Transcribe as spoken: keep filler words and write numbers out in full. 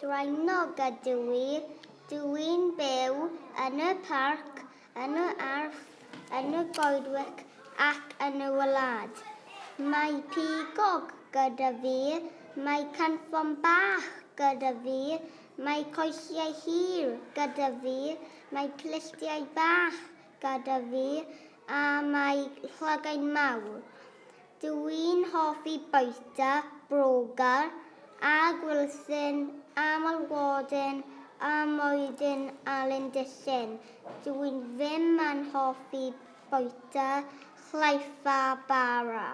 Draenog ydw i. Dw i'n byw yn y parc, yn y ardd, yn y goedwig ac yn y wlad. Mae pigog gyda fi, mae cynffon bach gyda fi, mae coesiau hir gyda fi, mae clustiau bach gyda fi a mae llygaid mawr. Dw i'n hoffi bwyta broga a gwlithyn a malwodyn a mwydyn a lindysyn. Dw i ddim yn hoffi bwyta llaeth a bara.